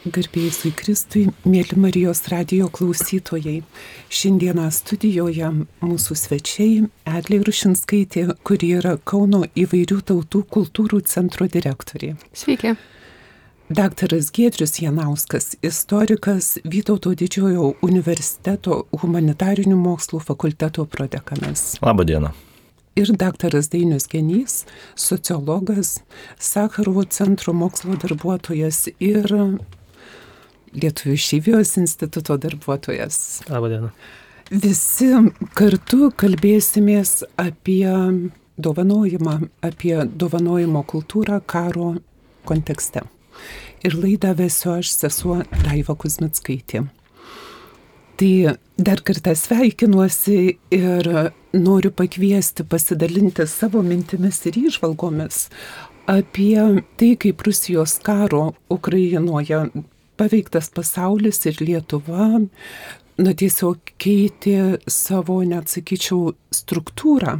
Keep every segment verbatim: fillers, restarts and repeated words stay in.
Garbėjai Kristui, mėly Marijos radijo klausytojai. Šiandieną studijoje mūsų svečiai Eglė Rušinskaitė, kuri yra Kauno įvairių tautų kultūrų centro direktorė. Sveiki. Daktaras Giedrius Janauskas, istorikas, Vytauto Didžiojo universiteto humanitarinių mokslų fakulteto prodekanas. Labą dieną. Ir daktaras Dainius Genys, sociologas, Sacharovo centro mokslo darbuotojas ir Lietuvių išeivijos instituto darbuotojas. Labą dieną. Visi kartu kalbėsimės apie dovanojimą, apie dovanojimo kultūrą karo kontekste. Ir laidą vesiu aš, sesuo Daiva Kuzmickaitė. Tai dar kartą sveikinuosi ir noriu pakviesti pasidalinti savo mintimis ir įžvalgomis apie tai, kaip Rusijos karo Ukrainoje paveiktas pasaulis ir Lietuva, na tiesiog keitė savo, net sakyčiau, struktūrą.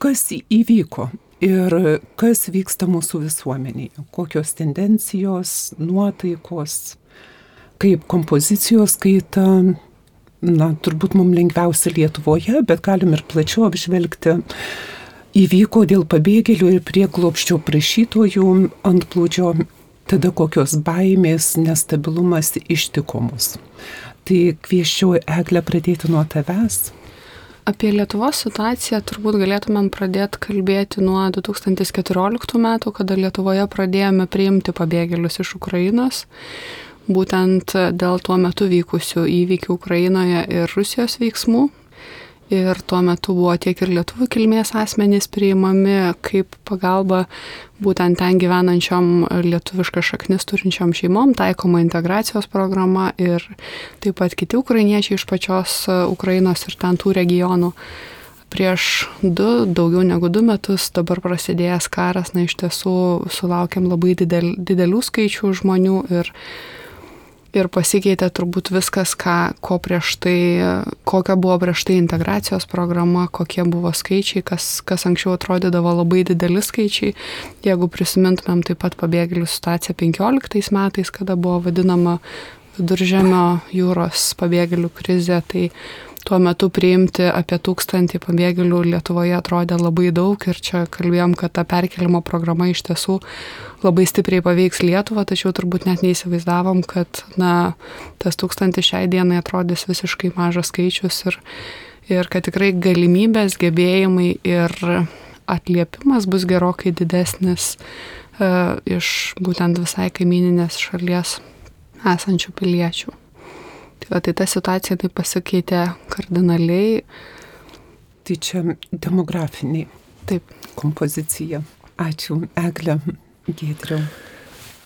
Kas įvyko ir kas vyksta mūsų visuomenėje, kokios tendencijos, nuotaikos, kaip kompozicijos kaita, na turbūt mums lengviausia Lietuvoje, bet galim ir plačiau apžvelgti, įvyko dėl pabėgėlių ir prieglobsčio prašytojų antplūdžio. Tada kokios baimės, nestabilumas ištiko mus. Tai kviesčiau Eglę pradėti nuo tavęs. Apie Lietuvos situaciją turbūt galėtumėm pradėti kalbėti nuo du tūkstančiai keturioliktų metų, kada Lietuvoje pradėjome priimti pabėgėlius iš Ukrainos, būtent dėl tuo metu vykusių įvykių Ukrainoje ir Rusijos veiksmų. Ir tuo metu buvo tiek ir lietuvių kilmės asmenys priimami kaip pagalba būtent ten gyvenančiom lietuviškas šaknis turinčiom šeimom, taikoma integracijos programa ir taip pat kiti ukrainiečiai iš pačios Ukrainos ir ten tų regionų. Prieš du, daugiau negu du metus dabar prasidėjęs karas, na iš tiesų sulaukėm labai didel, didelių skaičių žmonių ir Ir pasikeitė turbūt viskas, ką, ko prieš tai, kokia buvo prieš tai integracijos programa, kokie buvo skaičiai, kas, kas anksčiau atrodydavo labai dideli skaičiai. Jeigu prisimintumėm taip pat pabėgėlių situaciją penkioliktais metais, kada buvo vadinama Viduržemio jūros pabėgėlių krizė, tai tuo metu priimti apie tūkstantį pabėgėlių Lietuvoje atrodė labai daug ir čia kalbėjom, kad ta perkelimo programa iš tiesų labai stipriai paveiks Lietuvą, tačiau turbūt net neįsivaizdavom, kad na, tas tūkstantis šiai dienai atrodys visiškai mažas skaičius ir, ir kad tikrai galimybės, gebėjimai ir atliepimas bus gerokai didesnis uh, iš būtent visai kaimyninės šalies esančių piliečių. Tai, va, tai ta situacija tai pasikeitė kardinaliai. Tai čia demografiniai. Taip. Kompozicija. Ačiū, Eglė. Giedriau.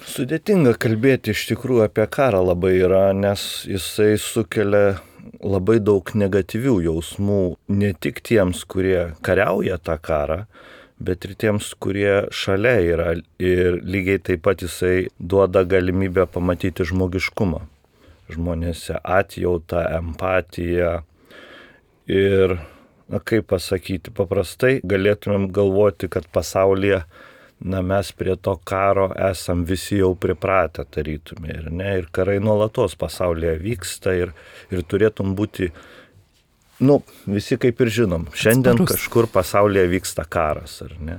Sudėtinga kalbėti iš tikrųjų apie karą labai yra, nes jisai sukelia labai daug negatyvių jausmų ne tik tiems, kurie kariauja tą karą, bet ir tiems, kurie šalia yra. Ir lygiai taip pat jisai duoda galimybę pamatyti žmogiškumą. Žmonėse atjautą, empatiją ir, na kaip pasakyti, paprastai galėtumėm galvoti, kad pasaulyje, na mes prie to karo esam visi jau pripratę tarytume ir ne, ir karai nuolatos pasaulyje vyksta ir, ir turėtum būti, nu, visi kaip ir žinom, šiandien Atsparus. Kažkur pasaulyje vyksta karas, ar ne?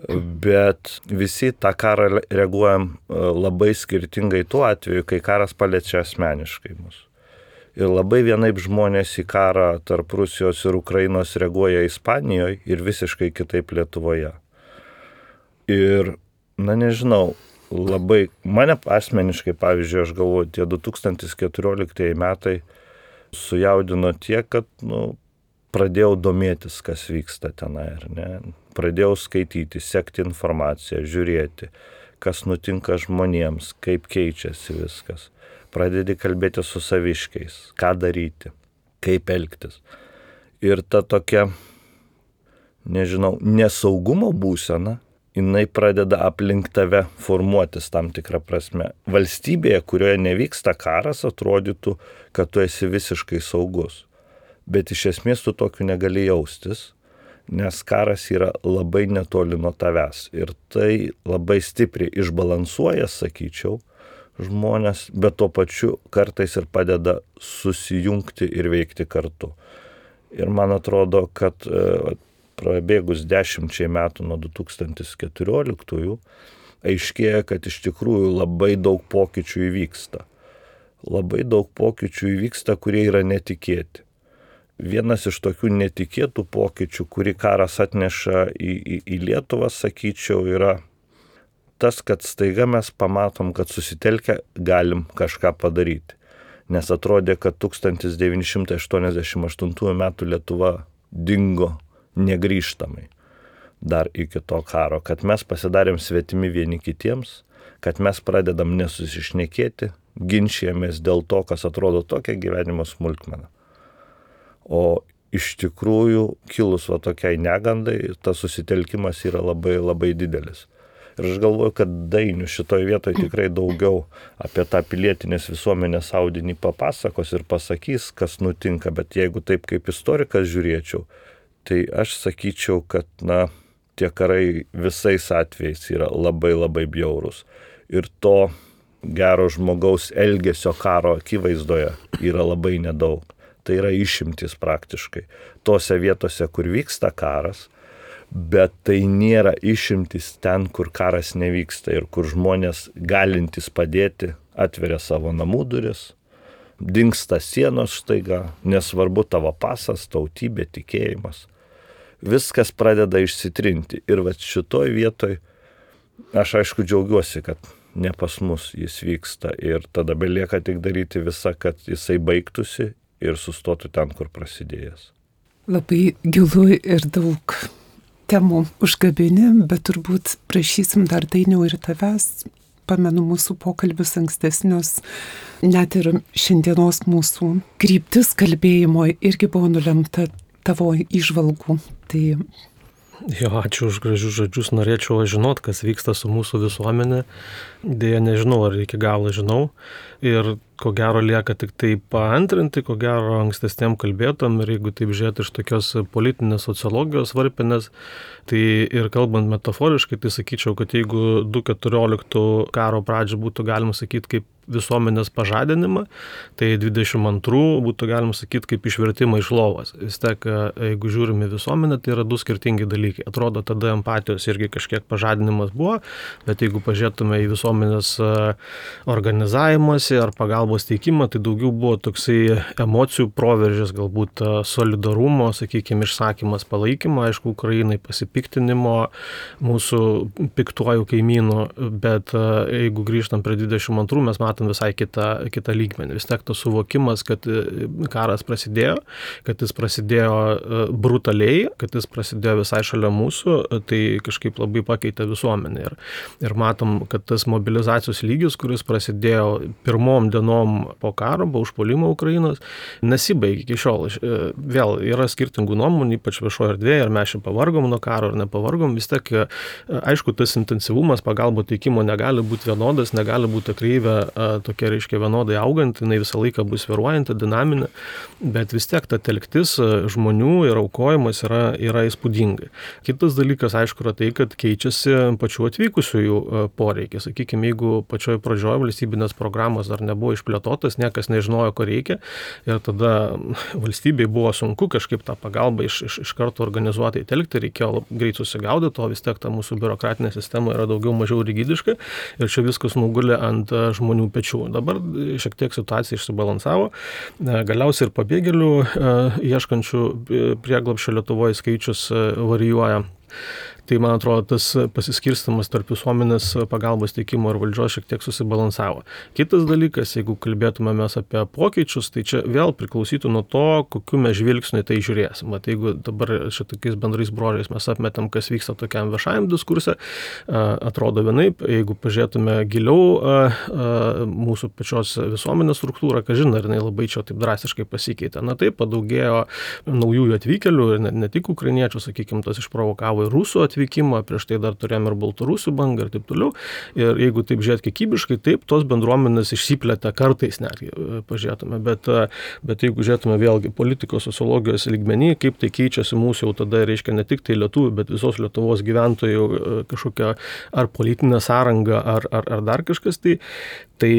Bet visi tą karą reaguojam labai skirtingai tuo atveju, kai karas paliečia asmeniškai mus. Ir labai vienaip žmonės į karą tarp Rusijos ir Ukrainos reaguoja Ispanijoje ir visiškai kitaip Lietuvoje. Ir, na nežinau, labai, mane asmeniškai, pavyzdžiui, aš galvoju, tie du tūkstančiai keturioliktieji metai sujaudino tiek, kad, nu, pradėjau domėtis, kas vyksta tenai, ar ne? Pradėjau skaityti, sekti informaciją, žiūrėti, kas nutinka žmonėms, kaip keičiasi viskas. Pradedi kalbėti su saviškiais, ką daryti, kaip elgtis. Ir ta tokia, nežinau, nesaugumo būsena, jinai pradeda aplink tave formuotis tam tikrą prasme. Valstybėje, kurioje nevyksta karas, atrodytų, kad tu esi visiškai saugus. Bet iš esmės tu tokiu negali jaustis, nes karas yra labai netoli nuo tavęs. Ir tai labai stipriai išbalansuoja, sakyčiau, žmonės, bet tuo pačiu kartais ir padeda susijungti ir veikti kartu. Ir man atrodo, kad prabėgus dešimčiai metų nuo du tūkstantis keturioliktųjų, aiškėja, kad iš tikrųjų labai daug pokyčių įvyksta. Labai daug pokyčių įvyksta, kurie yra netikėti. Vienas iš tokių netikėtų pokyčių, kurį karas atneša į, į, į Lietuvą, sakyčiau, yra tas, kad staiga mes pamatom, kad susitelkę galim kažką padaryti. Nes atrodė, kad tūkstantis devyni šimtai aštuoniasdešimt aštuntųjų metų Lietuva dingo negrįžtamai dar iki to karo, kad mes pasidarėm svetimi vieni kitiems, kad mes pradedam nesusišnekėti, ginčijamės dėl to, kas atrodo tokia gyvenimo smulkmena. O iš tikrųjų, kilus va tokiai negandai, tas susitelkimas yra labai labai didelis. Ir aš galvoju, kad Dainius šitoje vietoje tikrai daugiau apie tą pilietinės visuomenės audinį papasakos ir pasakys, kas nutinka, bet jeigu taip kaip istorikas žiūrėčiau, tai aš sakyčiau, kad na, tie karai visais atvejais yra labai labai bjaurūs. Ir to gero žmogaus elgesio karo akivaizdoje yra labai nedaug. Tai yra išimtis praktiškai. Tose vietose, kur vyksta karas, bet tai nėra išimtis ten, kur karas nevyksta ir kur žmonės galintys padėti atveria savo namų duris, dingsta sienos štaiga, nesvarbu tavo pasas, tautybė, tikėjimas. Viskas pradeda išsitrinti. Ir va šitoj vietoj aš aišku džiaugiuosi, kad ne pas mus jis vyksta ir tada belieka tik daryti visą, kad jisai baigtųsi ir sustotų ten, kur prasidėjęs. Labai gilu ir daug temų užgabini, bet turbūt prašysim dar Dainiau ir tavęs. Pamenu mūsų pokalbius ankstesnius, net ir šiandienos mūsų kryptis kalbėjimo irgi buvo nulemta tavo įžvalgų. Tai... Jo, ačiū už gražius žodžius. Norėčiau žinot, kas vyksta su mūsų visuomenė. Deja, nežinau, ar iki galo žinau. Ir ko gero lieka tik tai paantrinti, ko gero ankstesniam kalbėtam. Ir jeigu taip žiūrėti iš tokios politinės sociologijos varpinės, tai ir kalbant metaforiškai, tai sakyčiau, kad jeigu du keturioliktų karo pradžią būtų galima sakyti kaip visuomenės pažadinimą, tai dvidešimt antrų būtų galima sakyti kaip išvertimą iš lovos. Vis tiek, jeigu žiūrime visuomenę, tai yra du skirtingi dalykai. Atrodo, tada empatijos irgi kažkiek pažadinimas buvo, bet jeigu pažiūrėtume į visuomenės organizavimąsi ar pagalbos teikimą, tai daugiau buvo toksai emocijų proveržis, galbūt solidarumo, sakykime, išsakymas palaikymo, aišku, Ukrainai pasipiktinimo, mūsų piktuojų kaimynų, bet jeigu grįžtam prie dvidešimt antrų, mes matom visai kitą, kitą lygmenį. Vis tiek tas suvokimas, kad karas prasidėjo, kad jis prasidėjo brutaliai, kad jis prasidėjo visai šalia mūsų, tai kažkaip labai pakeitė visuomenę. Ir, ir matom, kad tas mobilizacijos lygis, kuris prasidėjo pirmom dienom po karo, po užpuolimo Ukrainos, nesibaigė iki šiol. Vėl yra skirtingų nuomonių, ypač viešoje erdvėje, ar mes čia pavargom nuo karo, ar nepavargom. Vis tiek, aišku, tas intensyvumas pagalbos teikimo negali būti vienodas, negali būti kreivė tokia, reiškia, vienodai auganti, jinai visą laiką bus svyruojanti, dinaminė, bet vis tiek ta telktis žmonių ir aukojimas yra, yra įspūdingai. Kitas dalykas, aišku, yra tai, kad keičiasi pačių atvykusiųjų poreikiai. Sakykime, jeigu pačioje pradžioje valstybinės programos dar nebuvo išplėtotas, niekas nežinojo, ko reikia, ir tada valstybei buvo sunku kažkaip tą pagalbą iš, iš, iš karto organizuotai telkti, reikėjo greit susigaudyti, o vis tiek ta mūsų biurokratinė sistema yra daugiau mažiau rigidiška ir čia viskas nugulė ant žmonių pečių. Dabar šiek tiek situacija išsibalansavo. Galiausiai ir pabėgėlių ieškančių prieglobsčio Lietuvoje skaičius varijuoja. Tai, man atrodo, tas pasiskirstymas tarp visuomenės pagalbos teikimo ir valdžios šiek tiek susibalansavo. Kitas dalykas, jeigu kalbėtume mes apie pokyčius, tai čia vėl priklausytų nuo to, kokiu mes žvilgsniu tai žiūrėsim. Mat, jeigu dabar šitokiais bendrais brožais mes apmetam, kas vyksta tokiam viešajam diskurse, atrodo vienaip. Jeigu pažiūrėtume giliau mūsų pačios visuomenės struktūrą, ką žinai, ar jinai labai čia taip drastiškai pasikeitė. Na taip, padaugėjo naujųjų atvykėlių, ne, ne tik ukrainiečių, sakykime, tas išprovokavo ir rusų atvykimo, prieš tai dar turėjom ir baltarusių bangą ir taip toliau. Ir jeigu taip žiūrėt kiekybiškai, taip, tos bendruomenės išsiplėtė kartais netgi pažiūrėtume, bet, bet jeigu žiūrėtume vėlgi politikos, sociologijos lygmenį, kaip tai keičiasi mūsų jau tada, reiškia ne tik tai lietuvių, bet visos Lietuvos gyventojų kažkokia ar politinė sąranga, ar, ar, ar dar kažkas, tai, tai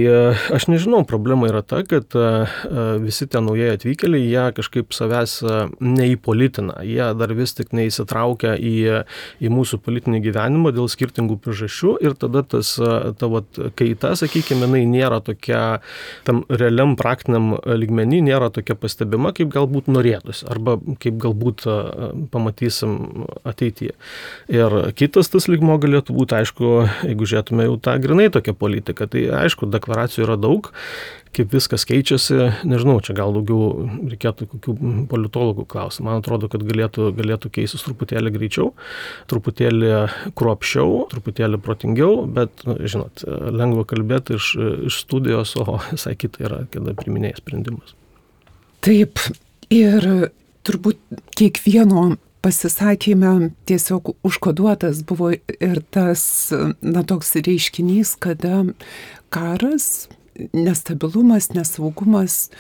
aš nežinau, problema yra ta, kad visi tie naujai atvykėliai, jie kažkaip savęs neįpolitina, jie dar vis tik neįsitraukia į, į mūsų politinį gyvenimą dėl skirtingų priežasčių ir tada tas ta vat kaita, sakykime, jinai nėra tokia, tam realiam praktiniam lygmenį nėra tokia pastebima, kaip galbūt norėtųsi, arba kaip galbūt pamatysim ateityje. Ir kitas tas lygmo galėtų būti, aišku, jeigu žiūrėtume jau tą grinai tokią politiką, tai aišku, deklaracijų yra daug, kaip viskas keičiasi, nežinau, čia gal daugiau reikėtų kokių politologų klausimų. Man atrodo, kad galėtų, galėtų keistis truputėlį greičiau, truputėlį kruopščiau, truputėlį protingiau, bet, žinot, lengva kalbėti iš, iš studijos, o visai kita yra, kada priiminėja sprendimus. Taip, ir turbūt kiekvieno pasisakyme tiesiog užkoduotas buvo ir tas, na, toks reiškinys, kada karas, nestabilumas, nesaugumas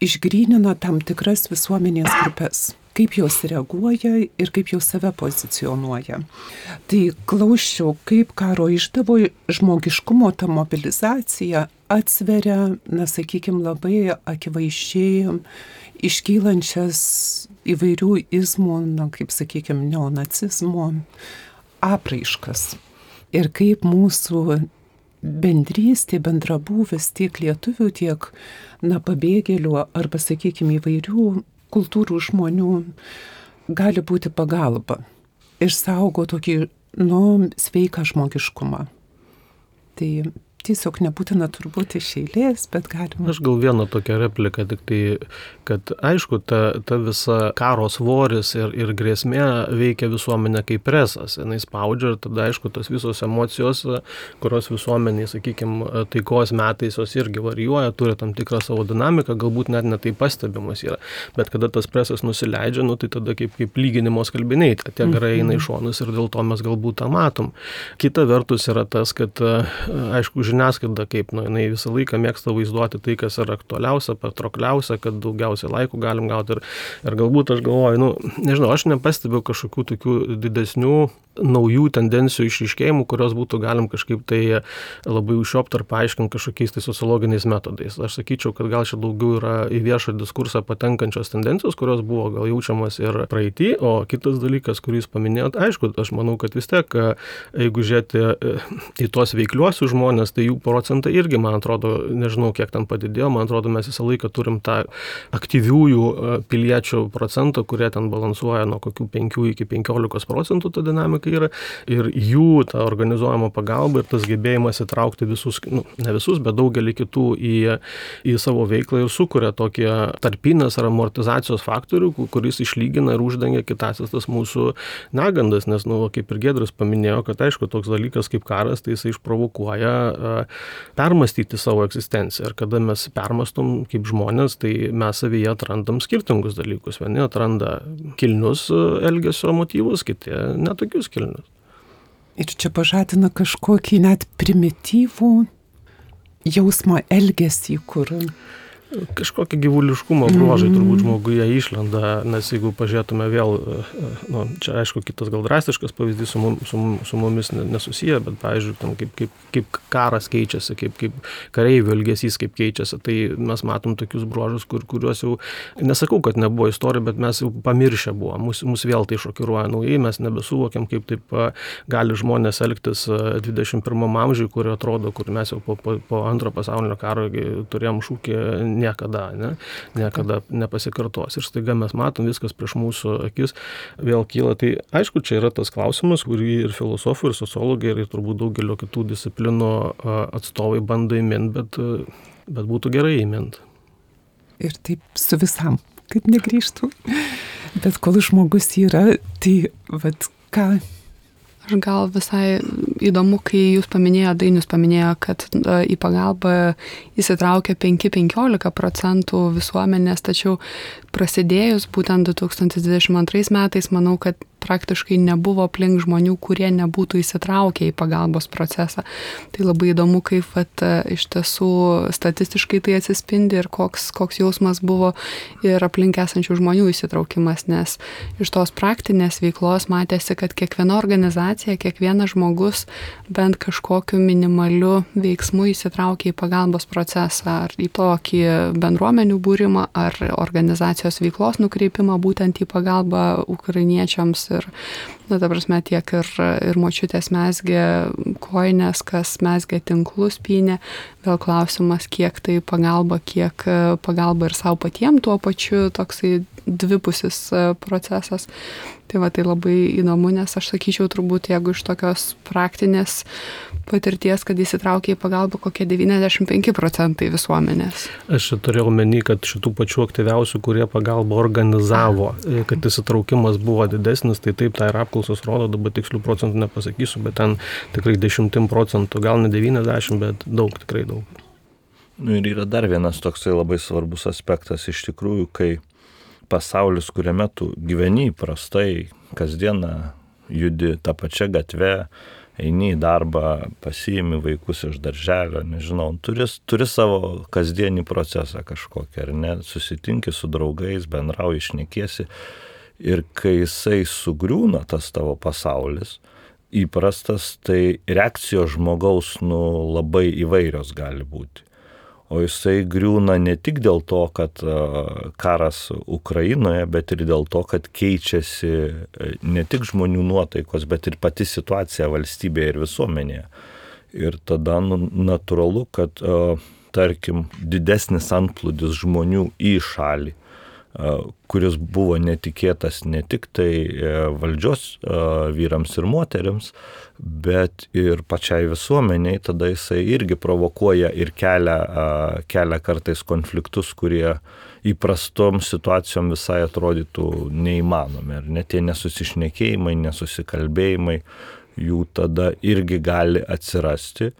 išgrynina tam tikras visuomenės grupės, kaip jos reaguoja ir kaip jos save pozicionuoja. Tai klausčiau, kaip karo išdavo žmogiškumo ta mobilizacija atsveria, na, sakykime, labai akivaizdžiai iškylančias įvairių izmų, na, kaip sakykime, neonacizmo apraiškas. Ir kaip mūsų bendrystė, bendrabūvis tiek lietuvių, tiek, na, pabėgėlių arba, sakykime, įvairių kultūrų žmonių gali būti pagalba. Išsaugo tokį, nu, sveiką žmogiškumą. Tai tiesiog nebūtina turbūt iš eilės, bet galima. Aš gal vieną tokią repliką, tik tai, kad aišku, ta, ta visa karo svoris ir, ir grėsmė veikia visuomenę kaip presas. Jis spaudžia ir tada, aišku, tos visos emocijos, kurios visuomeniai, sakykime, taikos metais jos irgi varijuoja, turi tam tikrą savo dinamiką, galbūt net netai pastebimas yra. Bet kada tas presas nusileidžia, nu, tai tada kaip, kaip lyginimo skalbiniai, tie garai eina į šonus ir dėl to mes galbūt tą matom. Kita vertus yra tas, kad, aišku, žiniasklaida kaip, nu, jinai visą laiką mėgsta vaizduoti tai, kas yra aktualiausia, patraukliausia, kad daugiausiai laikų galim gauti. Ir, ir galbūt aš galvoju, nu, nežinau, aš nepastebiu kažkokių tokių didesnių naujų tendencijų išryškėjimų, kurios būtų galim kažkaip tai labai užšiopti ar paaiškinti kažkokiais tai sociologiniais metodais. Aš sakyčiau, kad gal čia daugiau yra į viešą diskursą patenkančios tendencijos, kurios buvo gal jaučiamas ir praeitį, o kitas dalykas, kurį jūs paminėjot, aišku, aš manau, kad vis tiek, jeigu žiūrėti į tuos veikliuosius žmonės, tai jų procentai irgi, man atrodo, nežinau, kiek ten padidėjo, man atrodo, mes visą laiką turim tą aktyviųjų piliečių procentą, kurie ten balansuoja nuo kokių penkių iki penkiolikos procentų ta dinamika yra, ir jų ta organizuojama pagalba ir tas gebėjimas įtraukti visus, nu, ne visus, bet daugelį kitų į, į savo veiklą ir sukuria tokį tarpinės ar amortizacijos faktorių, kuris išlygina ir uždengia kitąsias tas mūsų negandas, nes, nu, kaip ir Giedrius paminėjo, kad, aišku, toks dalykas kaip karas, tai jisai išprovokuoja permastyti savo egzistenciją. Ir kada mes permastom kaip žmonės, tai mes savyje atrandam skirtingus dalykus. Vieni atranda kilnius elgesio motyvus, kiti netokius kilnius. Ir čia pažadina kažkokį net primityvų jausmą, elgesį, kur kažkokie gyvuliškumo bruožai turbūt žmoguje išlenda, nes jeigu pažiūrėtume vėl, nu, čia aišku kitas gal drastiškas pavyzdys su, mum, su, su mumis nesusiję, bet pavyzdžiui, tam, kaip, kaip, kaip karas keičiasi, kaip, kaip kareivių elgesys kaip keičiasi, tai mes matom tokius bruožus, kur, kuriuos jau, nesakau, kad nebuvo istorija, bet mes jau pamiršę buvo, mus, mus vėl tai šokiruoja naujai, mes nebesuvokiam, kaip taip gali žmonės elgtis dvidešimt pirmam amžiui, kur atrodo, kur mes jau po, po, po antro pasaulinio karo turėjom šūkį niekada, ne? Niekada nepasikartos. Ir staiga mes matom viskas prieš mūsų akis vėl kyla. Tai aišku, čia yra tas klausimas, kurį ir filosofai, ir sociologai, ir turbūt daugelio kitų disciplinų atstovai bando įminti, bet, bet būtų gerai įminti. Ir taip su visam, kad negrįžtų. Bet kol žmogus yra, tai vat ką... Aš gal visai įdomu, kai jūs paminėjo, Dainius paminėjo, kad į pagalbą įsitraukia penki penkiolika procentų visuomenės, tačiau prasidėjus būtent du tūkstantis dvidešimt antrais metais, manau, kad praktiškai nebuvo aplink žmonių, kurie nebūtų įsitraukę į pagalbos procesą. Tai labai įdomu, kaip vat, iš tiesų statistiškai tai atsispindi ir koks, koks jausmas buvo ir aplink esančių žmonių įsitraukimas, nes iš tos praktinės veiklos matėsi, kad kiekviena organizacija, kiekvienas žmogus bent kažkokiu minimaliu veiksmu įsitraukia į pagalbos procesą, ar į tokį bendruomenių būrimą, ar organizacijos veiklos nukreipimą būtent į pagalbą ukrainiečiams. Ir, na, ta prasme, tiek ir, ir močiutės mezgė kojines, kas mezgė tinklus, pynė. Vėl klausimas, kiek tai pagalba, kiek pagalba ir savo patiem tuo pačiu, toksai dvipusis procesas. Tai va, tai labai įdomu, nes aš sakyčiau, turbūt, jeigu iš tokios praktinės patirties, kad įsitraukia į pagalbą kokie devyniasdešimt penki procentai visuomenės. Aš turėjau omeny, kad šitų pačių aktyviausių, kurie pagalbą organizavo, kad įsitraukimas buvo didesnis, tai taip, tai ir apklausos rodo, dabar tikslių procentų nepasakysiu, bet ten tikrai dešimtim procentų, gal ne devyniasdešimt, bet daug, tikrai daug. Nu, ir yra dar vienas toksai labai svarbus aspektas iš tikrųjų, kai pasaulis, kuriame tu gyveni įprastai, kasdieną judi tą pačią gatvę, eini į darbą, pasiimi vaikus iš darželio, nežinau, turi, turi savo kasdienį procesą kažkokį, ar ne, susitinki su draugais, bendrauji, šnekiesi ir kai jisai sugriūna tas tavo pasaulis, įprastas, tai reakcijos žmogaus nu, labai įvairios gali būti. O jisai griūna ne tik dėl to, kad karas Ukrainoje, bet ir dėl to, kad keičiasi ne tik žmonių nuotaikos, bet ir pati situacija valstybėje ir visuomenėje. Ir tada nu, natūralu, kad, tarkim, didesnis antplūdis žmonių į šalį, kuris buvo netikėtas ne tik tai valdžios vyrams ir moteriams, bet ir pačiai visuomeniai, tada jisai irgi provokuoja ir kelia, kelia kartais konfliktus, kurie įprastom situacijom visai atrodytų neįmanomi. Ir net tie nesusišnekėjimai, nesusikalbėjimai, jų tada irgi gali atsirasti.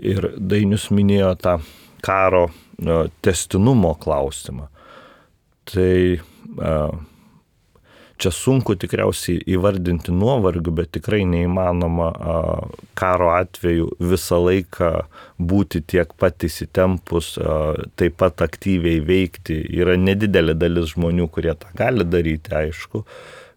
Ir Dainius minėjo tą karo tęstinumo klausimą. Tai čia sunku tikriausiai įvardinti nuovargių, bet tikrai neįmanoma karo atveju visą laiką būti tiek pat įsitempus, taip pat aktyviai veikti. Yra nedidelė dalis žmonių, kurie tą gali daryti, aišku,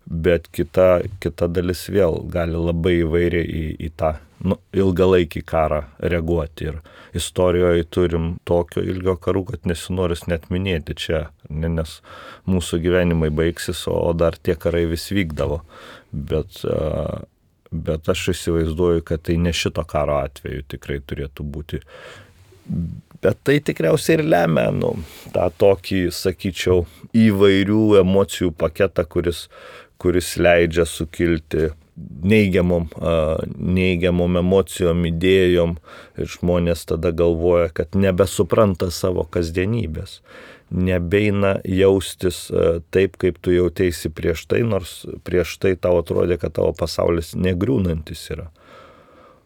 bet kita, kita dalis vėl gali labai įvairiai į, į tą nu, ilgalaikį karą reaguoti. Ir istorijoje turim tokio ilgio karų, kad nesinoris net minėti čia, nes mūsų gyvenimai baigsis, o dar tie karai vis vykdavo. Bet, bet aš įsivaizduoju, kad tai ne šito karo atveju tikrai turėtų būti. Bet tai tikriausiai ir lemia nu, tą tokį, sakyčiau, įvairių emocijų paketą, kuris, kuris leidžia sukilti neigiamom, neigiamom emocijom, idėjom ir žmonės tada galvoja, kad nebesupranta savo kasdienybės, nebeina jaustis taip, kaip tu jauteisi prieš tai, nors prieš tai tau atrodė, kad tavo pasaulis negriūnantis yra.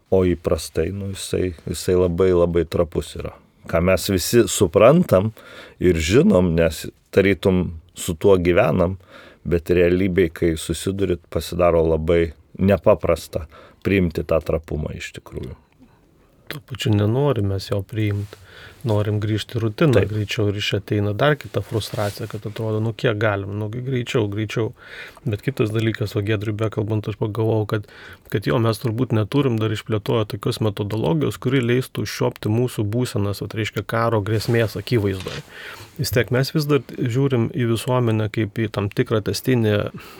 O įprastai, nu, jisai, jisai labai labai trapus yra. Ką mes visi suprantam ir žinom, nes tarytum su tuo gyvenam, bet realybėj, kai susidurit, pasidaro labai nepaprasta priimti tą trapumą iš tikrųjų. Tuo pačiu nenorim mes jo priimti, norim grįžti rutiną Taip. Greičiau ir iš ateina dar kita frustracija, kad atrodo, nu kiek galim, nu greičiau, greičiau. Bet kitas dalykas, o Giedriui bekalbant, aš pagalvojau, kad, kad jo mes turbūt neturim dar išplėtoję tokios metodologijos, kuri leistų užčiuopti mūsų būsenas, tai reiškia karo grėsmės akivaizdoje. Vis tiek mes vis dar žiūrim į visuomenę kaip į tam tikrą testinį,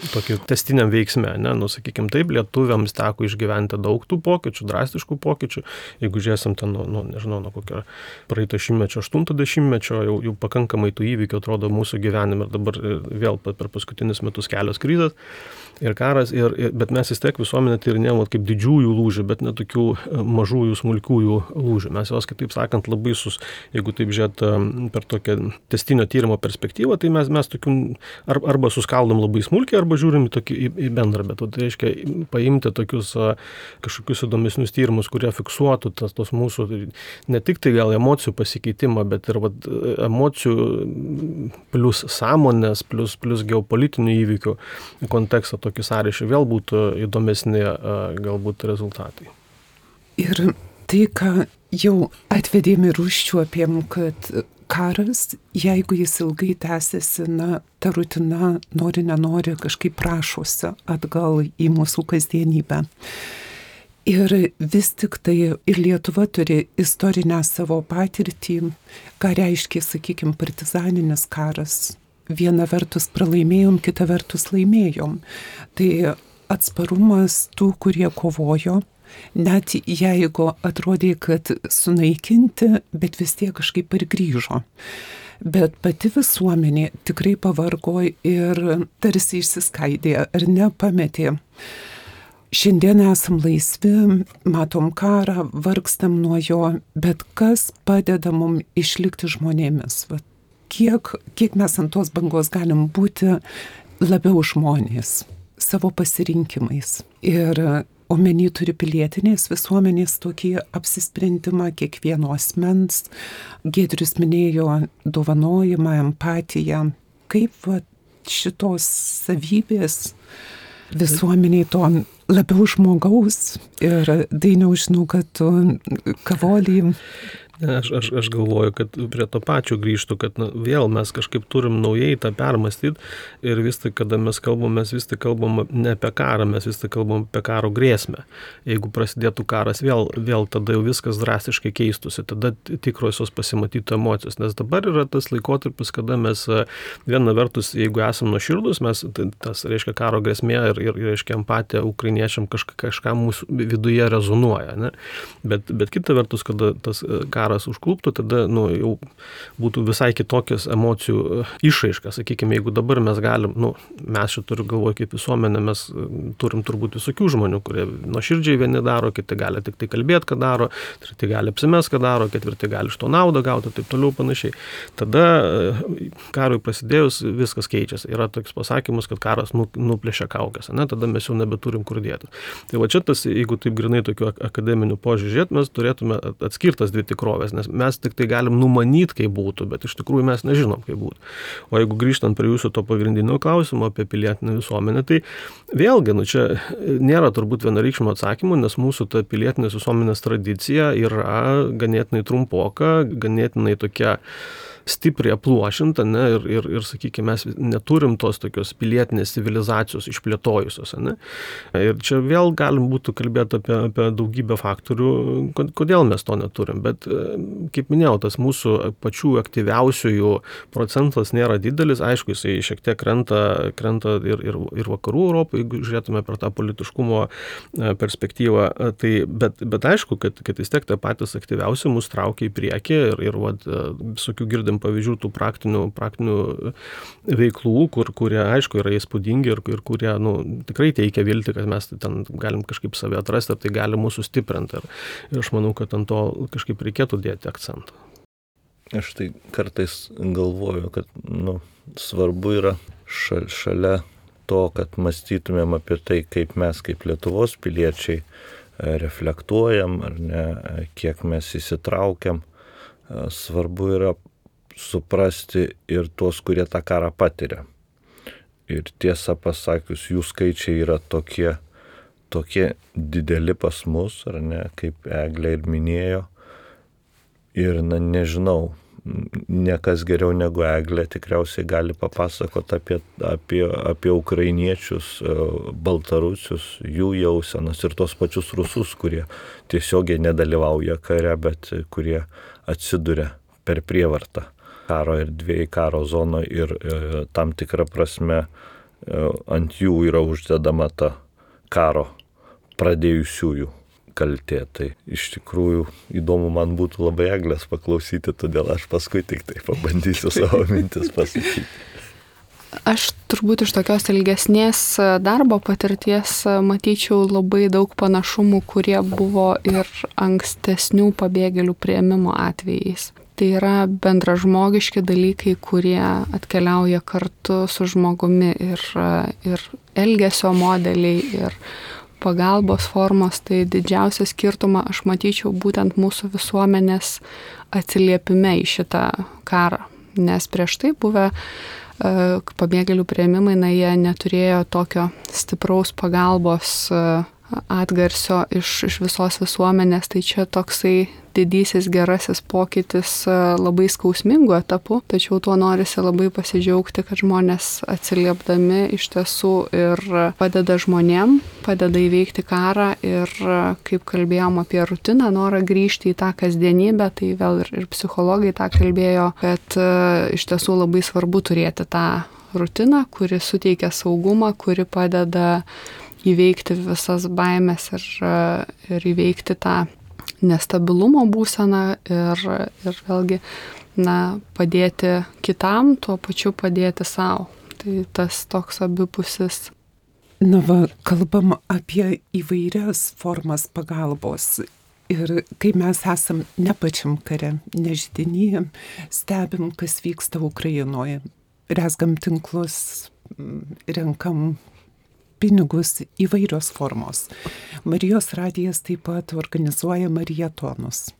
tokį testiniam veiksmę, ne? Nu, sakykim, taip, lietuviams teko išgyventi daug tų pokyčių, drastiškų pokyčių, jeigu žiūrėsim ten, nu, nu, nežinau, nuo kokio praeito šimtmečio, aštunto dešimtmečio, jau, jau pakankamai tų įvykių atrodo mūsų gyvenime ir dabar vėl per paskutinius metus kelios krizės ir karas, ir, ir, bet mes vis tiek visuomenę tyrinėjom kaip didžiųjų lūžių, bet ne tokių mažųjų, smulkiųjų lūžių. Mes jos, kitaip sakant, labai sus, jeigu taip žiūrėt per tokią testinio tyrimo perspektyvą, tai mes, mes tokių ar, arba suskaldom labai smulkiai, arba žiūrim į, tokį, į, į bendrą, bet tai reiškia paimti tokius kažkokius įdomesnius tyrimus, kurie fiksuotų tas, tos mūsų, ne tik tai gal emocijų pasikeitimą, bet ir vat, emocijų plus sąmonės, plus, plus geopolitinių įvykių kontekstą tokį sąryšį vėl būtų įdomesni galbūt rezultatai. Ir tai, ką jau atvedėm ir užčiuopėm, kad karas, jeigu jis ilgai tęsiasi, na, ta rutina nori, nenori kažkaip prašosi atgal į mūsų kasdienybę. Ir vis tik tai ir Lietuva turi istorinę savo patirtį, ką reiškia, sakykime, partizaninis karas. Viena vertus pralaimėjom, kita vertus laimėjom. Tai atsparumas tų, kurie kovojo, net jeigu atrodė, kad sunaikinti, bet vis tiek kažkaip ir grįžo. Bet pati visuomenė tikrai pavargo ir tarsi išsiskaidė ar nepametė. Šiandien esam laisvi, matom karą, vargstam nuo jo, bet kas padeda mums išlikti žmonėmis? Va, kiek, kiek mes ant tos bangos galim būti labiau žmonės savo pasirinkimais. Ir omeny turi pilietinės visuomenės tokį apsisprendimą kiekvieno asmens. Giedrius minėjo dovanojimą, empatiją. Kaip va, šitos savybės visuomeniai to labiau žmogaus? Ir Dainiau, žinau, kad tu kavolį. Aš, aš, aš galvoju, kad prie to pačio grįžtų, kad na, vėl mes kažkaip turim naujai tą permastyti ir vis tik, kada mes kalbam, mes vis tik kalbam ne apie karą, mes vis tik kalbam apie karo grėsmę. Jeigu prasidėtų karas, vėl, vėl tada jau viskas drastiškai keistusi, tada tikrosios pasimatytų emocijos, nes dabar yra tas laikotarpis, kada mes viena vertus, jeigu esam nuoširdus, mes tas, reiškia, karo grėsmė ir, ir reiškia, empatija ukrainiečiam kažką, kažką mūsų viduje rezonuoja, ne? Bet, bet kita vertus, kada tas karas užkluptų, tada nu, jau būtų visai kitokios emocijų išraiškas. Sakykime, jeigu dabar mes galim, nu, mes čia turiu galvoje kaip visuomenė, mes turim turbūt visokių žmonių, kurie nuoširdžiai vieni daro, kiti gali tik tai kalbėti, ką daro, treti gali apsimest, ką daro, ketvirti gali iš to naudą gauti, taip toliau panašiai. Tada karui prasidėjus viskas keičiasi. Yra toks pasakymas, kad karas nu, nuplėšia kaukės, ne? Tada mes jau nebeturim kur dėti. Tai va čia tas, jeigu taip grinai tokiu akademiniu požiūrėt, mes turėtume atskirtas dvi tikrovės. Nes mes tik tai galim numanyti, kaip būtų, bet iš tikrųjų mes nežinom, kaip būtų. O jeigu grįžtant prie jūsų to pagrindinio klausimo apie pilietinę visuomenę, tai vėlgi, nu čia nėra turbūt vienareikšmio atsakymų, nes mūsų ta pilietinės visuomenės tradicija yra ganėtinai trumpoka, ganėtinai tokia stipriai apluošinta, ne, ir, ir, ir sakykime, mes neturim tos tokios pilietinės civilizacijos išplėtojusios, ne. Ir čia vėl galim būtų kalbėti apie, apie daugybę faktorių, kodėl mes to neturim, bet, kaip minėjau, tas mūsų pačių aktyviausiųjų procentas nėra didelis, aišku, jisai šiek tiek krenta, krenta ir, ir, ir vakarų Europai, jeigu žiūrėtume per tą politiškumo perspektyvą, tai, bet, bet aišku, kad, kad vis tiek tie patys aktyviausi mus traukia į priekį ir, ir vat, visokių girdim pavyzdžių tų praktinių, praktinių veiklų, kur, kurie, aišku, yra įspūdingi ir, ir kurie nu, tikrai teikia viltį, kad mes ten galim kažkaip save atrasti ir tai gali mūsų stiprinti. Ir, ir aš manau, kad ant to kažkaip reikėtų dėti akcentą. Aš tai kartais galvoju, kad nu, svarbu yra šal, šalia to, kad mąstytumėm apie tai, kaip mes kaip Lietuvos piliečiai reflektuojam, ar ne, kiek mes įsitraukiam. Svarbu yra suprasti ir tuos, kurie tą karą patiria. Ir tiesą pasakius, jų skaičiai yra tokie, tokie dideli pas mus, ar ne, kaip Eglė ir minėjo. Ir na, nežinau, niekas geriau negu Eglė tikriausiai gali papasakoti apie, apie, apie ukrainiečius, baltarusius, jų jausenas ir tos pačius rusus, kurie tiesiogiai nedalyvauja kare, bet kurie atsiduria per prievartą karo erdvėje, karo zonoje ir e, tam tikrą prasme e, ant jų yra uždedama ta karo pradėjusiųjų kaltė. Tai iš tikrųjų įdomu man būtų labai Eglės paklausyti, todėl aš paskui tik tai pabandysiu savo mintis pasakyti. Aš turbūt iš tokios ilgesnės darbo patirties matyčiau labai daug panašumų, kurie buvo ir ankstesnių pabėgėlių priėmimo atvejais. Tai yra bendražmogiški dalykai, kurie atkeliauja kartu su žmogumi ir, ir elgesio modeliai, ir pagalbos formos, tai didžiausią skirtumą aš matyčiau būtent mūsų visuomenės atsiliepime į šitą karą. Nes prieš tai buvę uh, pabėgėlių priėmimai, na, jie neturėjo tokio stipraus pagalbos uh, atgarsio iš, iš visos visuomenės, tai čia toksai didysis gerasis pokytis labai skausmingų etapų, tačiau tuo norisi labai pasidžiaugti, kad žmonės atsiliepdami iš tiesų ir padeda žmonėm, padeda įveikti karą ir kaip kalbėjom apie rutiną, norą grįžti į tą kasdienybę, tai vėl ir, ir psichologai tą kalbėjo, kad iš tiesų labai svarbu turėti tą rutiną, kuri suteikia saugumą, kuri padeda įveikti visas baimės ir, ir įveikti tą nestabilumo būseną ir, ir vėlgi, na, padėti kitam, tuo pačiu padėti savo. Tai tas toks abipusis. Na va, kalbam apie įvairias formas pagalbos. Ir kai mes esam ne pačiam kare, ne židiny, stebim, kas vyksta Ukrainoje, rezgam tinklus, renkam pinigus, įvairios formos. Marijos radijas taip pat organizuoja marietonus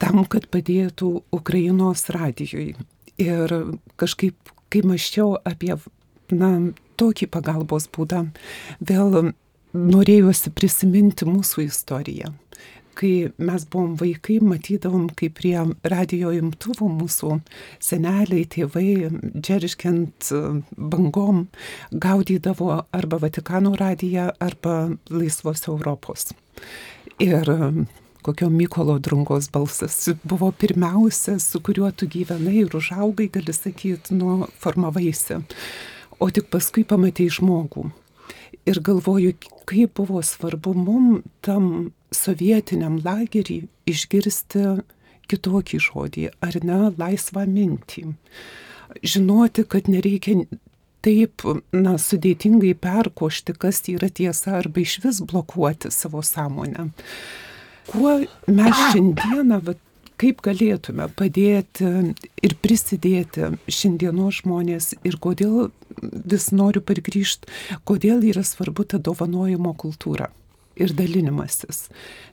tam, kad padėtų Ukrainos radijui. Ir kažkaip, kai mąsčiau apie, na, tokį pagalbos būdą, vėl norėjusi prisiminti mūsų istoriją. Kai mes buvom vaikai, matydavom, kaip prie radijo imtuvų mūsų seneliai, tėvai, džerškiant bangom, gaudydavo arba Vatikano radiją, arba Laisvos Europos. Ir kokio Mykolo Drungos balsas buvo pirmiausia, su kuriuo tu gyvenai ir užaugai, gali sakyti, nu, formavaisi. O tik paskui pamatei žmogų. Ir galvoju, kaip buvo svarbu mum tam sovietiniam lagerį išgirsti kitokį žodį, ar ne, laisvą mintį. Žinoti, kad nereikia taip, na, sudėtingai perkošti, kas yra tiesa, arba išvis blokuoti savo sąmonę. Kuo mes šiandieną, va, kaip galėtume padėti ir prisidėti šiandienos žmonės ir kodėl vis noriu pargrįžti, kodėl yra svarbu ta dovanojimo kultūra ir dalinimasis.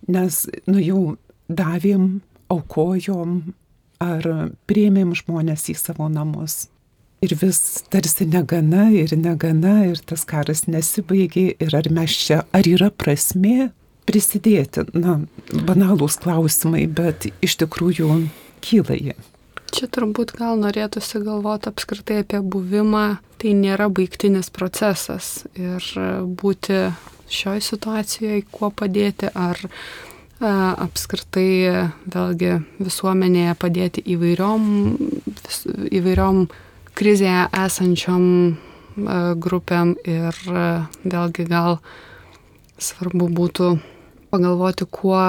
Nes, nu, jau davėm, aukojom ar priėmėm žmonės į savo namus. Ir vis tarsi negana ir negana ir tas karas nesibaigė ir ar mes čia, ar yra prasmė prisidėti, na, banalūs klausimai, bet iš tikrųjų kyla jie. Čia turbūt gal norėtųsi galvoti apskritai apie buvimą, tai nėra baigtinis procesas ir būti šioj situacijoje, kuo padėti, ar a, apskritai vėlgi visuomenėje padėti įvairiom, vis, įvairiom krizėje esančiom a, grupėm ir a, vėlgi gal svarbu būtų pagalvoti, kuo,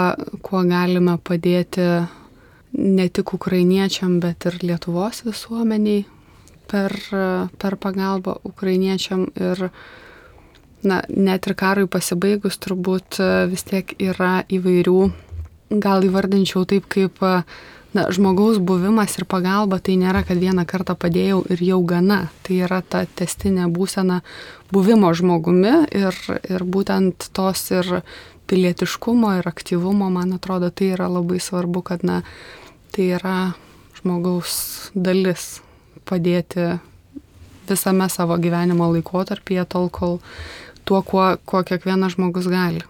kuo galime padėti ne tik ukrainiečiam, bet ir Lietuvos visuomeniai per, per pagalbą ukrainiečiam ir, na, net ir karui pasibaigus turbūt vis tiek yra įvairių, gal įvardinčiau taip kaip, na, žmogaus buvimas ir pagalba, tai nėra, kad vieną kartą padėjau ir jau gana, tai yra ta tęstinė būsena buvimo žmogumi ir, ir būtent tos ir pilietiškumo ir aktyvumo, man atrodo, tai yra labai svarbu, kad, na, tai yra žmogaus dalis padėti visame savo gyvenimo laikotarpyje, tol, kol tuo, kuo, kuo kiekvienas žmogus gali.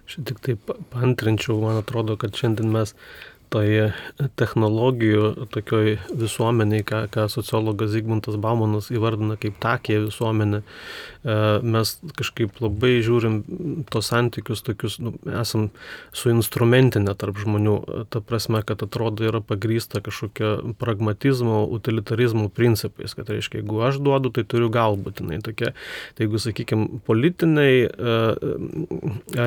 Aš tik taip paantrinčiau, man atrodo, kad šiandien mes toje technologijų tokioj visuomeniai, ką, ką sociologas Zygmuntas Baumanas įvardina kaip takė visuomenė, mes kažkaip labai žiūrim tos santykius tokius, nu, esam suinstrumentinę tarp žmonių, ta prasme, kad atrodo yra pagrįsta kažkokio pragmatizmo, utilitarizmo principais, kad reiškia, jeigu aš duodu, tai turiu galbūtinai tokia, tai jeigu, sakykime, politiniai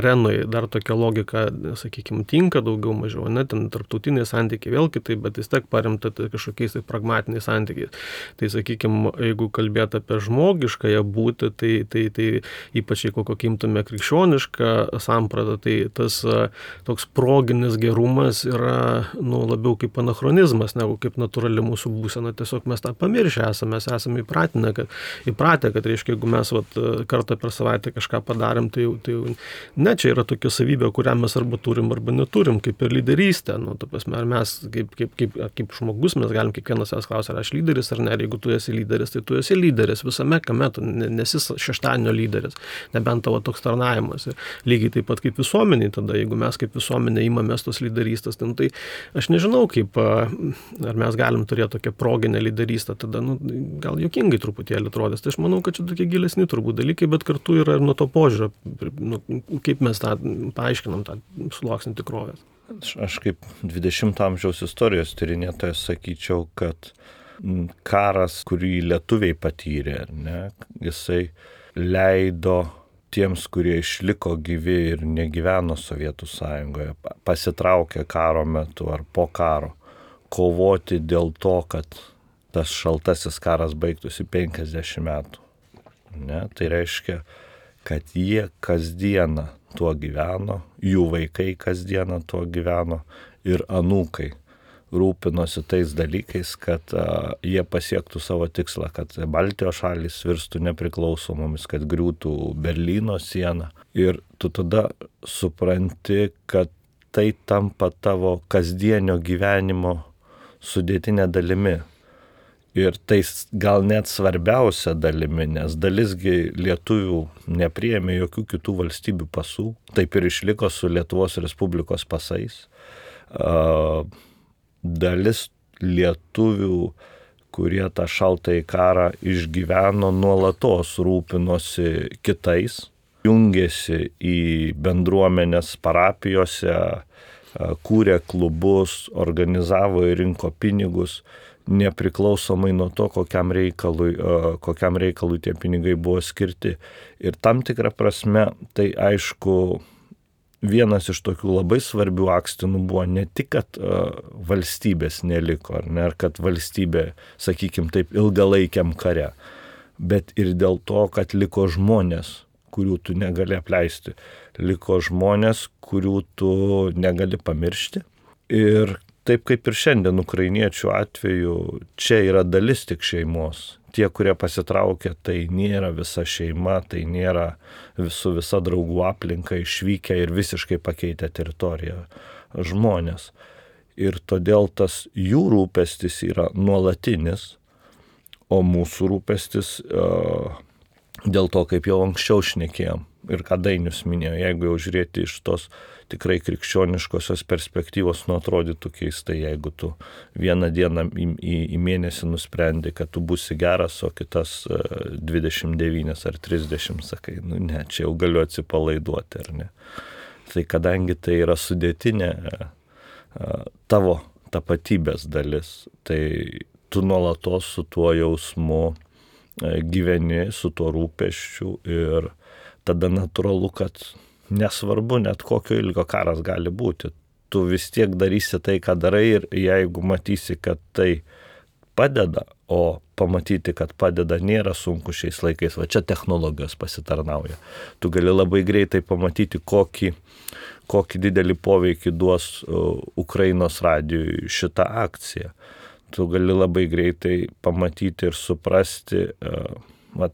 arenai dar tokia logika, sakykime, tinka daugiau mažiau, ne, ten tarptautiniai tarptautiniai santykiai vėl kitaip, bet vis tiek paremta tai kažkokiais tai pragmatiniais santykiais. Tai sakykime, jeigu kalbėt apie žmogiškąją būtį, tai, tai, tai ypač jeigu kokį imtume krikščionišką sampratą, tai tas toks proginis gerumas yra nu, labiau kaip anachronizmas, negu kaip natūrali mūsų būsena. Tiesiog mes tą pamiršę esame, mes esame įpratinę, kad, įpratę, kad reiškia, jeigu mes vat, kartą per savaitę kažką padarėm, tai, tai ne, čia yra tokia savybė, kurią mes arba turim, arba neturim, kaip ir lyderystė. Nu, ta prasme, ar mes kaip, kaip, kaip, kaip žmogus, mes galim kiekvienas savęs klausti, ar aš lyderis ar ne, ir jeigu tu esi lyderis, tai tu esi lyderis visame kame, tu nesi šeštadienio lyderis, nebent tavo toks tarnavimas. Ir lygiai taip pat kaip visuomeniai tada, jeigu mes kaip visuomenė imamės tos lyderystės, tai aš nežinau, kaip, ar mes galim turėti tokią proginę lyderystę, tada nu, gal juokingai truputėlį atrodės. Tai aš manau, kad čia tokie gilesni turbūt dalykai, bet kartu yra ir nuo to požiūrio, nu, kaip mes tą paaiškinam, tą sluoksnį tikrovės. Aš kaip dvidešimto amžiaus istorijos tyrinėtojas sakyčiau, kad karas, kurį lietuviai patyrė, ne, jisai leido tiems, kurie išliko gyvi ir negyveno Sovietų sąjungoje, pasitraukė karo metu ar po karo, kovoti dėl to, kad tas šaltasis karas baigtųsi penkiasdešimt metų. Ne, tai reiškia, kad jie kasdieną tuo gyveno, jų vaikai kasdieną tuo gyveno ir anūkai rūpinosi tais dalykais, kad a, jie pasiektų savo tikslą, kad Baltijos šalys virstų nepriklausomomis, kad griūtų Berlyno siena. Ir tu tada supranti, kad tai tampa tavo kasdienio gyvenimo sudėtinė dalimi. Ir tai gal net svarbiausia dalimi, nes dalisgi lietuvių nepriėmė jokių kitų valstybių pasų, taip ir išliko su Lietuvos Respublikos pasais. Uh, dalis lietuvių, kurie tą šaltąjį karą išgyveno, nuolatos rūpinosi kitais, jungėsi į bendruomenės parapijose, kūrė klubus, organizavo ir rinko pinigus, nepriklausomai nuo to, kokiam reikalui, kokiam reikalui tie pinigai buvo skirti. Ir tam tikrą prasme, tai aišku, vienas iš tokių labai svarbių akstinų buvo ne tik, kad valstybės neliko, ar ne, ar kad valstybė, sakykim taip, ilgalaikiam kare, bet ir dėl to, kad liko žmonės, kurių tu negali apleisti. Liko žmonės, kurių tu negali pamiršti. Ir taip kaip ir šiandien ukrainiečių atveju, čia yra dalis tik šeimos. Tie, kurie pasitraukė, tai nėra visa šeima, tai nėra visų visa draugų aplinka išvykę ir visiškai pakeitę teritoriją žmonės. Ir todėl tas jų rūpestis yra nuolatinis, o mūsų rūpestis uh, dėl to, kaip jau anksčiau šnekėjom ir ką Dainius minėjo, jeigu jau žiūrėti iš tos tikrai krikščioniškosios perspektyvos, nu atrodytų keistai, jeigu tu vieną dieną į, į, į mėnesį nusprendi, kad tu būsi geras, o kitas dvidešimt devynias ar trisdešimt sakai, nu ne, čia jau galiu atsipalaiduoti, ar ne. Tai kadangi tai yra sudėtinė tavo tapatybės dalis, tai tu nuolatos su tuo jausmu gyveni, su tuo rūpesčiu ir tada natūralu, kad nesvarbu net kokio ilgio karas gali būti. Tu vis tiek darysi tai, ką darai ir jeigu matysi, kad tai padeda, o pamatyti, kad padeda, nėra sunku šiais laikais, va čia technologijos pasitarnauja. Tu gali labai greitai pamatyti, kokį, kokį didelį poveikį duos Ukrainos radijui šitą akciją. Tu gali labai greitai pamatyti ir suprasti, va,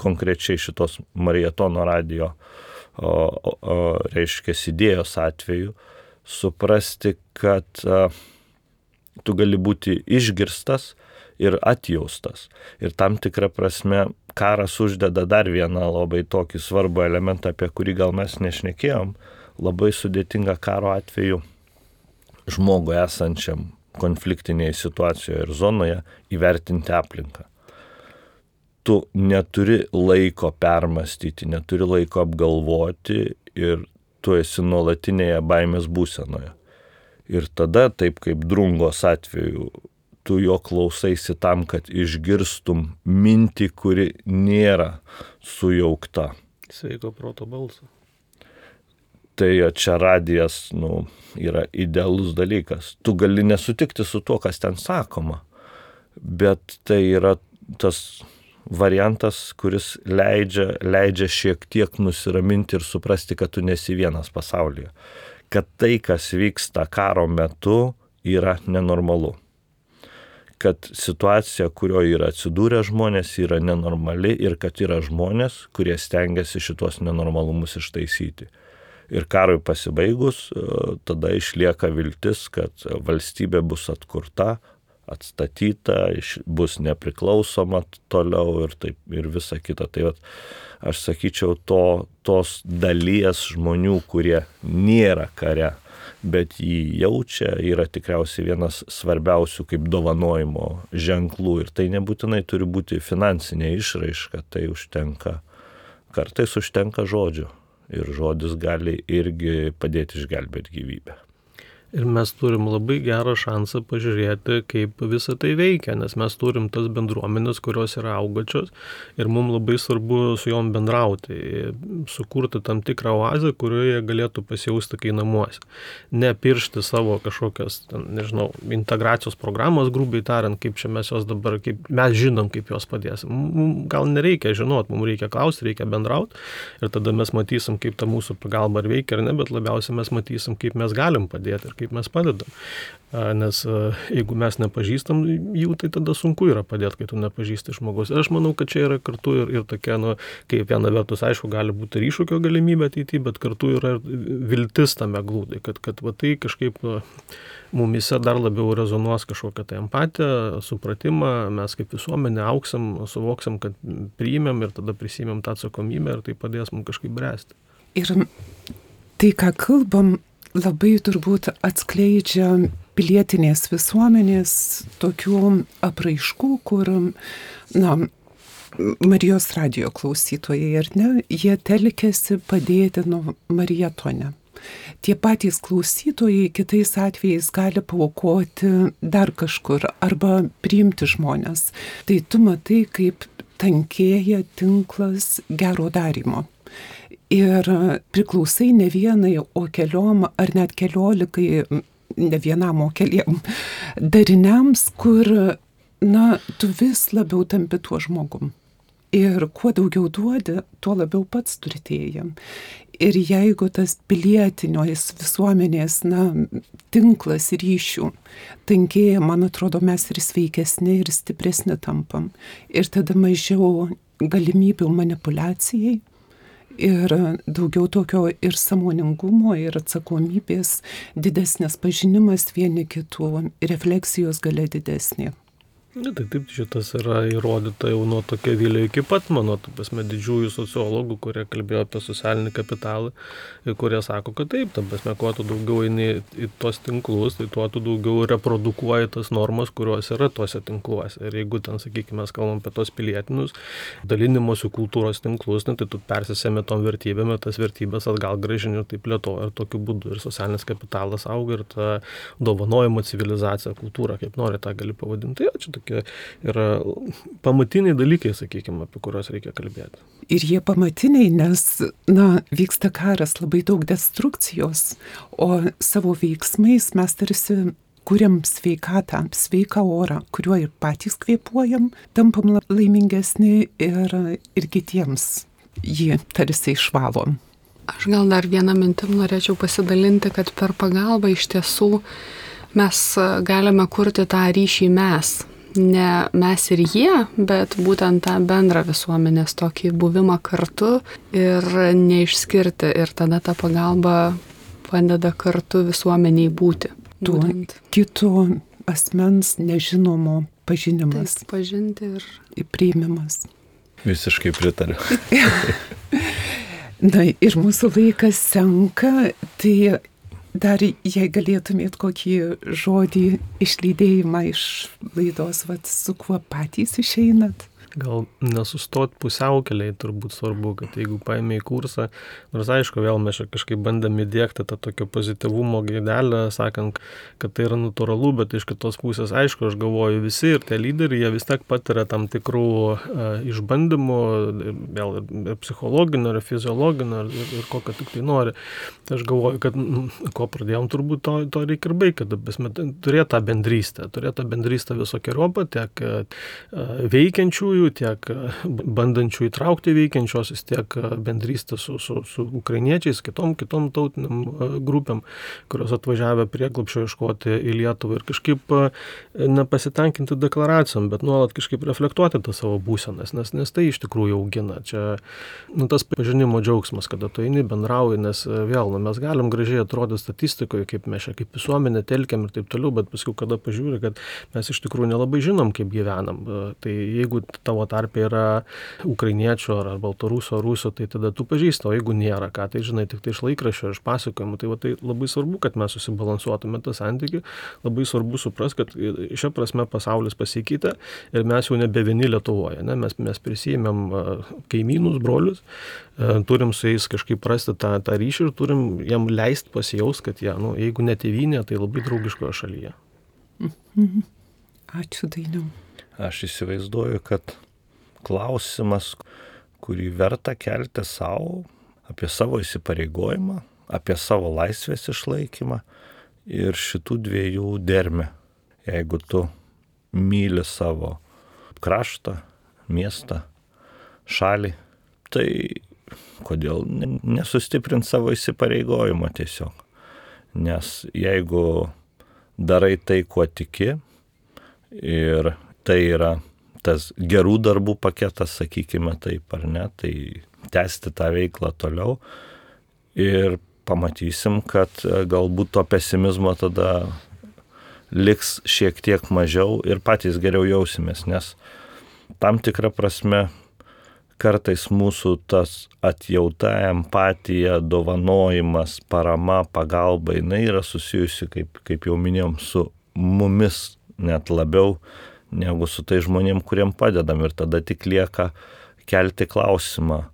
konkrečiai šitos Marietono radijo O, o, o, reiškia idėjos atveju, suprasti, kad a, tu gali būti išgirstas ir atjaustas. Ir tam tikrą prasme karas uždeda dar vieną labai tokį svarbų elementą, apie kurį gal mes nešnekėjom, labai sudėtinga karo atveju žmogui esančiam konfliktinėje situacijoje ir zonoje įvertinti aplinką. Tu neturi laiko permastyti, neturi laiko apgalvoti ir tu esi nuolatinėje baimės būsenoje. Ir tada, taip kaip Drungos atveju, tu jo klausaisi tam, kad išgirstum mintį, kuri nėra sujaukta. Sveiko proto balsą. Tai čia radijas, nu, yra idealus dalykas. Tu gali nesutikti su tuo, kas ten sakoma, bet tai yra tas variantas, kuris leidžia, leidžia šiek tiek nusiraminti ir suprasti, kad tu nesi vienas pasaulyje. Kad tai, kas vyksta karo metu, yra nenormalu. Kad situacija, kurioje yra atsidūrę žmonės, yra nenormali ir kad yra žmonės, kurie stengiasi šitos nenormalumus ištaisyti. Ir karui pasibaigus, tada išlieka viltis, kad valstybė bus atkurta, atstatyta, bus nepriklausoma toliau ir, taip, ir visa kita. Tai vat, aš sakyčiau, to, tos dalies žmonių, kurie nėra kare, bet jį jaučia, yra tikriausiai vienas svarbiausių kaip dovanojimo ženklų. Ir tai nebūtinai turi būti finansinė išraiška, tai užtenka, kartais užtenka žodžių. Ir žodis gali irgi padėti išgelbėti gyvybę. Ir mes turim labai gerą šansą pažiūrėti, kaip visa tai veikia, nes mes turim tas bendruomenės, kurios yra augačios ir mums labai svarbu su jom bendrauti, sukurti tam tikrą oazę, kurioje galėtų pasijausti kai namuose. Nepiršti savo kažkokias, ten, nežinau, integracijos programos, grubiai tariant, kaip čia mes jos dabar, kaip mes žinom, kaip jos padėsim. Mums gal nereikia žinot, mums reikia klausti, reikia bendrauti ir tada mes matysim, kaip ta mūsų pagalba ar veikia ar ne, bet labiausiai mes matysim, kaip mes galim padėti ir kaip mes padedam. Nes jeigu mes nepažįstam jų, tai tada sunku yra padėti, kai tu nepažįsti žmogus. Ir aš manau, kad čia yra kartu ir, ir tokia, nu, kaip viena vertus, aišku, gali būti ir iššūkio galimybė ateityje, bet kartu yra viltis tame glūdai, kad, kad va, tai kažkaip mumise dar labiau rezonuos kažkokią tai empatiją, supratimą, mes kaip visuomenė auksim, suvoksim, kad priimėm ir tada prisimėm tą atsakomybę ir tai padės mums kažkaip bręsti. Ir tai, ką kalbam, labai turbūt atskleidžia pilietinės visuomenės tokių apraiškų, kur, na, Marijos radijo klausytojai, ar ne, jie telkėsi padėti nuo marietone. Tie patys klausytojai kitais atvejais gali paaukoti dar kažkur arba priimti žmonės. Tai tu matai, kaip tankėja tinklas gero darymo. Ir priklausai ne vienai, o keliom ar net keliolikai, ne vienam, o keliem dariniams, kur, na, tu vis labiau tampi tuo žmogum. Ir kuo daugiau duodi, tuo labiau pats turtėji. Ir jeigu tas pilietinės visuomenės, na, tinklas ryšių tankėja, man atrodo, mes ir sveikesni, ir stipresni tampam. Ir tada mažiau galimybių manipuliacijai. Ir daugiau tokio ir sąmoningumo, ir atsakomybės, didesnės pažinimas vieni kitų, refleksijos galia didesnė. Na, tai taip, šitas yra įrodyta jau nuo tokio Vilio iki pat mano, tu pasme, didžiųjų sociologų, kurie kalbėjo apie socialinį kapitalą ir kurie sako, kad taip, tam pasme, kuo tu daugiau eini į tos tinklus, tai tuo tu daugiau reprodukuoji tas normas, kurios yra tose tinkluose. Ir jeigu ten, sakykime, mes kalbam apie tos pilietinius dalinimosi kultūros tinklus, ne, tai tu persisėmi tom vertybėm ir tas vertybės atgal grąžini ir taip plėtoji. Ir tokiu būdu ir socialinis kapitalas auga ir ta dovanojimo civilizacija, kultūra, kaip nori tą gali pavadinti. Tai, tokie yra pamatiniai dalykai, sakykime, apie kuriuos reikia kalbėti. Ir jie pamatiniai, nes, na, vyksta karas, labai daug destrukcijos, o savo veiksmais mes tarsi kuriam sveikatą, sveiką orą, kuriuo ir patys kvėpuojam, tampam laimingesni ir, ir kitiems jį tarsi išvalom. Aš gal dar vieną mintim norėčiau pasidalinti, kad per pagalbą iš tiesų mes galime kurti tą ryšį mes. Ne mes ir jie, bet būtent tą bendrą visuomenės tokį buvimą kartu ir neišskirti. Ir tada ta pagalba padeda kartu visuomeniai būti. Tuo kito asmens nežinomo pažinimas. Taip, pažinti ir priėmimas. Visiškai pritariu. Na ir mūsų laikas senka, tai dar jei galėtumėt kokį žodį išlydėjimą iš laidos, vat, su kuo patys išeinat? gal nesustot pusiaukeliai turbūt svarbu, kad jeigu paėmė į kursą, nors aišku, vėl mes kažkaip bandėme įdėkti tą tokio pozityvumo gaidelę, sakant, kad tai yra natūralu, bet iš kitos pusės, aišku, aš galvoju, visi ir tie lyderiai, jie vis tiek patiria tam tikrų uh, išbandymų, vėl ir psichologinio, ir fiziologinio, ir, ir kokio tik tai nori. Tai aš galvoju, kad nu, ko pradėjom, turbūt to, to reikia ir baigti, kad turėtų tą bendrystę, turėtų tą bendrystę visokiojopą, tiek uh, veikiančiųjų, tiek bandančių įtraukti veikiančiosius, tiek bendrystę su, su, su ukrainiečiais, kitom, kitom tautiniam grupėm, kurios atvažiavę prieglobsčio ieškoti į Lietuvą ir kažkaip nepasitenkinti deklaracijom, bet nuolat kažkaip reflektuoti tą savo būsenas, nes, nes tai iš tikrųjų augina. Čia nu, tas pažinimo džiaugsmas, kada tu eini, bendrauji, nes vėl, nu, mes galim gražiai atrodyti statistikoje, kaip mes čia, kaip visuomenė telkiam ir taip toliau, bet paskui, kada pažiūri, kad mes iš tikrųjų nelabai žinom, kaip gyvenam. Tai jeigu tavo tarpe yra ukrainiečio ar baltaruso ar rusio, tai tada tu pažįsti, o jeigu nėra, ką tai žinai, tik tai iš laikraščio, iš pasakojimų, tai, va, tai labai svarbu, kad mes susibalansuotume tą santykį, labai svarbu supras, kad šia prasme pasaulis pasikeitė ir mes jau nebe vieni Lietuvoje, ne? mes, mes prisijėmėm kaimynus, brolius, turim su jais kažkaip rasti tą, tą ryšį ir turim jam leisti pasijaus, kad jie, nu, jeigu ne tėvynė, tai labai draugiškoje šalyje. Mhm. Ačiū, Dainiau. Aš įsivaizduoju, kad klausimas, kurį verta kelti savo, apie savo įsipareigojimą, apie savo laisvės išlaikymą ir šitų dviejų dermę. Jeigu tu myli savo kraštą, miestą, šalį, tai kodėl nesustiprinti savo įsipareigojimo tiesiog. Nes jeigu darai tai, kuo tiki, ir tai yra tas gerų darbų paketas, sakykime taip, ar ne, tai tęsti tą veiklą toliau ir pamatysim, kad galbūt to pesimizmo tada liks šiek tiek mažiau ir patys geriau jausimės, nes tam tikra prasme kartais mūsų tas atjauta, empatija, dovanojimas, parama, pagalba, jinai yra susijusi, kaip, kaip jau minėjom, su mumis net labiau negu su tai žmonėm, kuriem padedam. Ir tada tik lieka kelti klausimą,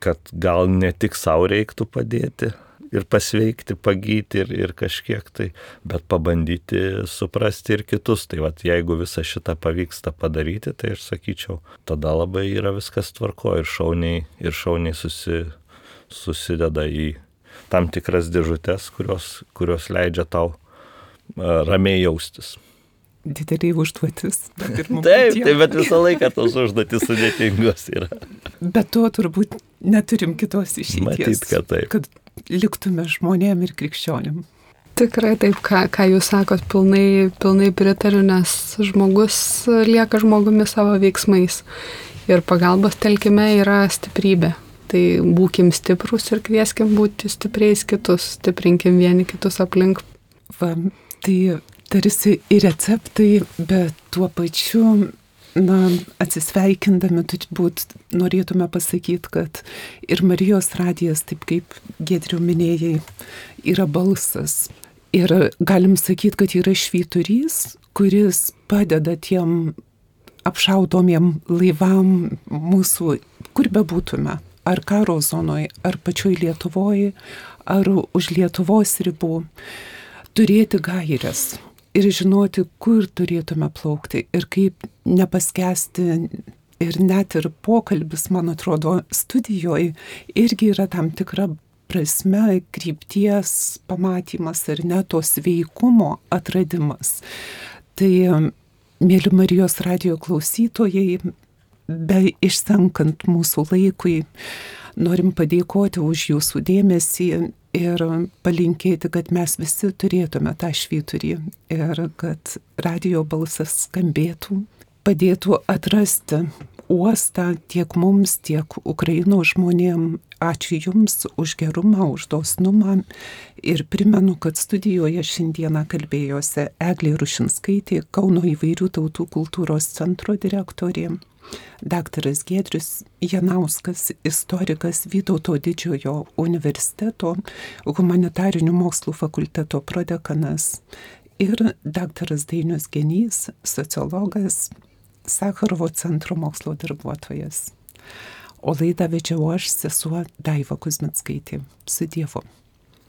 kad gal ne tik savo reiktų padėti ir pasveikti, pagyti ir, ir kažkiek tai, bet pabandyti suprasti ir kitus. Tai vat, jeigu visą šitą pavyksta padaryti, tai aš sakyčiau, tada labai yra viskas tvarko ir šauniai, ir šauniai susi, susideda į tam tikras dėžutes, kurios, kurios leidžia tau uh, ramiai jaustis. Didelį užduotis. Taip, taip, bet visą laiką tos užduotis sudėtingos yra. Bet to turbūt neturim kitos išeities. Matyt, kad taip. Kad liktume žmonėm ir krikščionim. Tikrai taip, ką, ką jūs sakot, pilnai, pilnai pritariu, nes žmogus lieka žmogumi savo veiksmais. Ir pagalbos telkime yra stiprybė. Tai būkim stiprus ir kvieskim būti stipriais kitus, stiprinkim vieni kitus aplink. Va, tai tarsi ir receptai, bet tuo pačiu, na, atsisveikindami, turbūt norėtume pasakyti, kad ir Marijos radijas, taip kaip Giedriau minėjai, yra balsas. Ir galim sakyti, kad yra švyturys, kuris padeda tiem apšaudomiem laivam mūsų, kur bebūtume, ar karo zonoje, ar pačioj Lietuvoje, ar už Lietuvos ribų, turėti gairias. Ir žinoti, kur turėtume plaukti ir kaip nepaskesti. Ir net ir pokalbis, man atrodo, studijoje irgi yra tam tikra prasme krypties pamatymas ir net to sveikumo atradimas. Tai, mėly Marijos radijo klausytojai, be išsenkant mūsų laikui, norim padėkoti už jūsų dėmesį ir palinkėti, kad mes visi turėtume tą švyturį ir kad radijo balsas skambėtų, padėtų atrasti uostą tiek mums, tiek Ukrainos žmonėm. Ačiū Jums už gerumą, už dosnumą ir primenu, kad studijoje šiandieną kalbėjosi Eglė Rušinskaitė, Kauno įvairių tautų kultūros centro direktorė, daktaras Giedrius Janauskas, istorikas Vytauto Didžiojo universiteto humanitarinių mokslų fakulteto prodekanas ir daktaras Dainius Genys, sociologas, Sakarovo centro mokslo darbuotojas. O laidą vedžiau aš, sesuo Daiva Kuzmickaitė. Su Dievu.